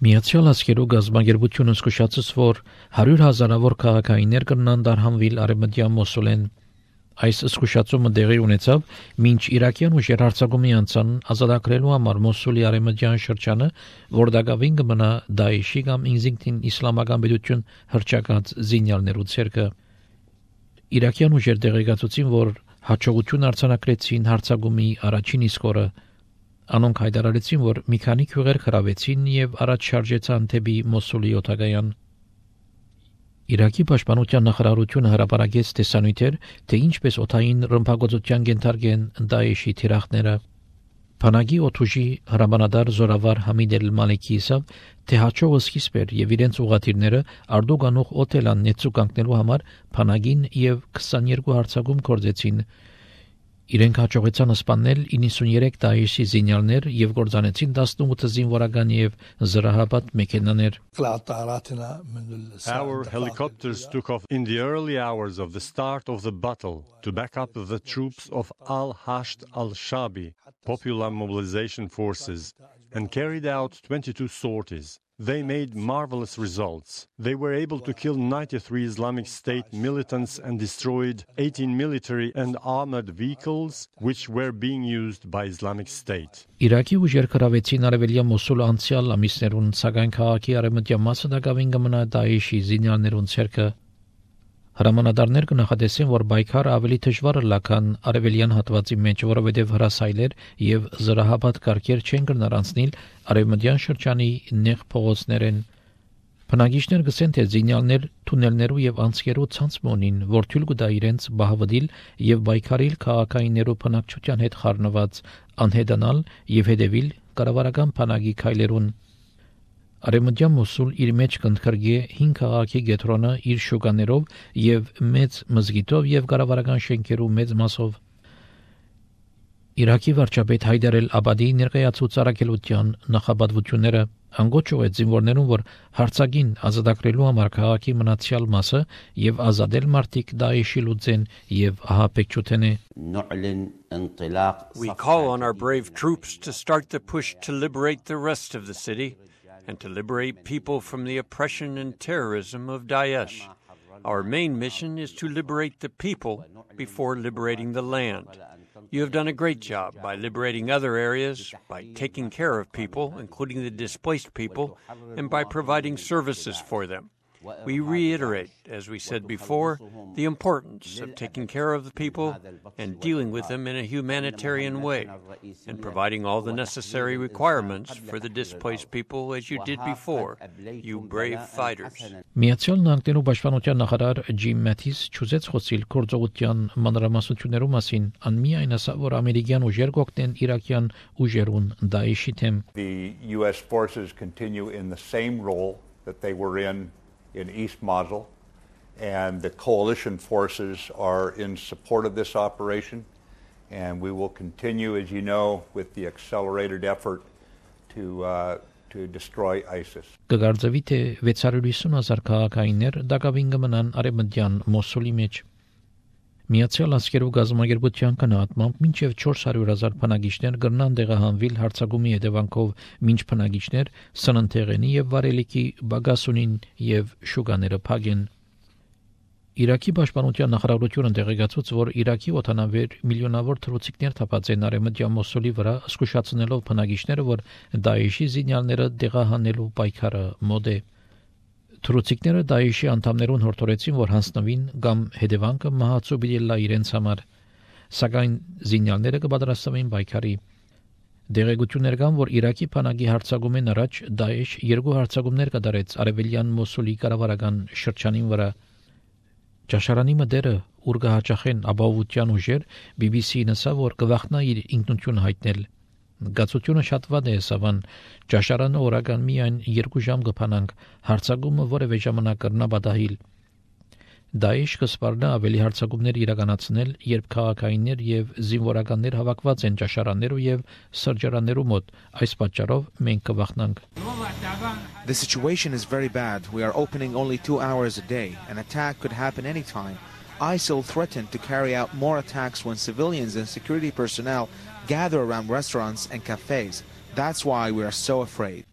Միացյալ Աշխարհի գազագերբությունը զսկուշացուց, որ 100,000-ավոր քաղաքայիններ կնան դարհանվել արևմտյան Մոսուլեն։ Այս զսկուշացումը դեղի ունեցավ, մինչ իրաքյան ուժեր հարձակումի անցան ազատագրելու համար Մոսուլի արևմտյան շրջանը, որ դակավին կմնա Դաեշի կամ ինքնին իսլամական պետություն հռչակած զինյալներու ցերկը։ Իրաքյան ուժեր տեղեկացուցին, որ հաջողություն արձանագրեցին հարձակումի առաջին իսկ օրը։ Անոնք հայտարարեցին, որ մի քանի քյուղեր խրավեցին եւ առաջ շարժեցան դեպի Մոսուլի օտագայան։ Իրաքի պաշտպանության նախարարությունը հրապարակեց տեսանյութեր, թե ինչպես օթային ռմբակոծության կենթարկեն Դաեշի թիրախները։ Փանագի օթուժի հրամանատար զորավար Համիդ Էլ-Մալեքի ասավ, թե հաջողը սկիզբ էր եւ իրենց ուղղաթիռները Արդուգանուղ օթելան նեցու կանգնելու համար Փանագին եւ 22 հարձակում կործեցին։ Իրենք հաջողեցան սպանել 93 Դաեշի զինյալներ եւ կործանեցին 18 զինվորական եւ զրահապատ մեքենաներ։ Our helicopters took off in the early hours of the start of the battle to back up the troops of Al-Hashd al-Shabi, Popular Mobilization Forces, and carried out 22 sorties. They made marvelous results. They were able to kill 93 Islamic State militants and destroyed 18 military and armored vehicles which were being used by Islamic State. Իրաքի ուժեր կրավեցին արևելյան Մոսուլ անցյալ ամիսներուն, սակայն քաղաքի արևմտյան մասը դակավին կմնա Դաեշի զինյալներուն ցերկը։ Հրամանատարներ կնախադեսեն, որ պայքարը ավելի դժվար լական արևելյան հատվածի մեջ, որովհետև հրասայլեր եւ զրահապատ կարգեր չեն կրնարանցնել արևմտյան շրջանի նեղ փողոցներեն։ Բնակիչներ գսեն, թե զինյալներ թունելներու եւ անցքերու ցանցմոնին, որ թույլ կտա իրենց բահվդիլ եւ պայքարիլ քաղաքայիններու բնակչության հետ խառնված անհետանալ եւ հետևիլ կառավարական բանակի քայլերուն։ Արևմտյան Մոսուլ իր մեջ կընդգրկի 5 քաղաքի գետրոնը իր շուկաներով եւ մեծ մզգիտով եւ կառավարական շենքերու մեծ մասով։ Իրաքի վարչապետ Հայդար Էլ-Աբադի ներկայացուց առաքելության նախապատվությունները անգոչով է զինվորներուն, որ հարձակին ազատագրելու համար քաղաքի մնացյալ մասը եւ ազատել մարդիկ Դաեշի լուծեն եւ ահաբեկչութեն է։ We call on our brave troops to start the push to liberate the rest of the city and to liberate people from the oppression and terrorism of Daesh. Our main mission is to liberate the people before liberating the land. You have done a great job by liberating other areas, by taking care of people, including the displaced people, and by providing services for them. We reiterate, as we said before, the importance of taking care of the people and dealing with them in a humanitarian way, and providing all the necessary requirements for the displaced people as you did before, you brave fighters. Միացյալ Նահանգներու պաշտպանության նախարար Ջիմ Մաթիս չուզեց խոսել գործողության մանրամասնություններու մասին, անմիայն ասա, որ ամերիկյան ուժեր կօգնեն իրաքյան ուժերուն Դաեշի թեմ։ The US forces continue in the same role that they were in East Mosul, and the coalition forces are in support of this operation, and we will continue, as you know, with the accelerated effort to destroy ISIS. Կգարձվի թե 650,000 քաղաքայիններ դակավին կմնան արևմտյան Մոսուլի մեջ։ Միացյալ Աշխարհի գազագերբության կնահատմամբ մինչև 400,000 բնակիչներ կգնան տեղահանվել հարձակումի հետևանքով, մինչ բնակիչներ սննդեղենի եւ վարելիքի բագասունին եւ շուկաները փակեն։ Իրաքի պաշտպանության նախարարությունը տեղեկացուց, որ Իրաքի օտանավեր միլիոնավոր թռուցիկներ թափած են արևմտյան Մոսուլի վրա, զսկուշացնելով բնակիչները, որ Դաեշի զինյալները տեղահանելու պայքարը մոտ է։ Թռուցիկները Դաեշի անդամներուն հորդորեցին, որ հանձնվին կամ հետևանքը մահացու բիլլա իրենց համար, սակայն զինյալները կպատրաստվեն պայքարի։ Դեղեցություններ կան, որ Իրաքի բանակի հարձակումեն առաջ Դաեշ 2 հարձակումներ կատարեց արևելյան Մոսուլի կառավարական շրջանին վրա։ Ճաշարանի մդերը, ուր կհաճախեն ապահովության ուժեր, BBC-ն ասավ, որ կվախնա իր ինքնություն հայտնել։ Գացությունը շատ վատ է, սավան ճաշարանը օրական միայն 2 ժամ կփանանք, հարձակումը որևէ ժամանակ կրնա պատահիլ։ Դաեշ կսպառնա ավելի հարձակումներ իրականացնել, երբ քաղաքայիններ եւ զինվորականներ հավաքված են ճաշարաններու եւ սրճարաններու մոտ, այս պատճառով մենք կվախնանք։ The situation is very bad. We are opening only 2 hours a day. An attack could happen anytime. ISIL threatened to carry out more attacks when civilians and security personnel gather around restaurants and cafes. That's why we are so afraid.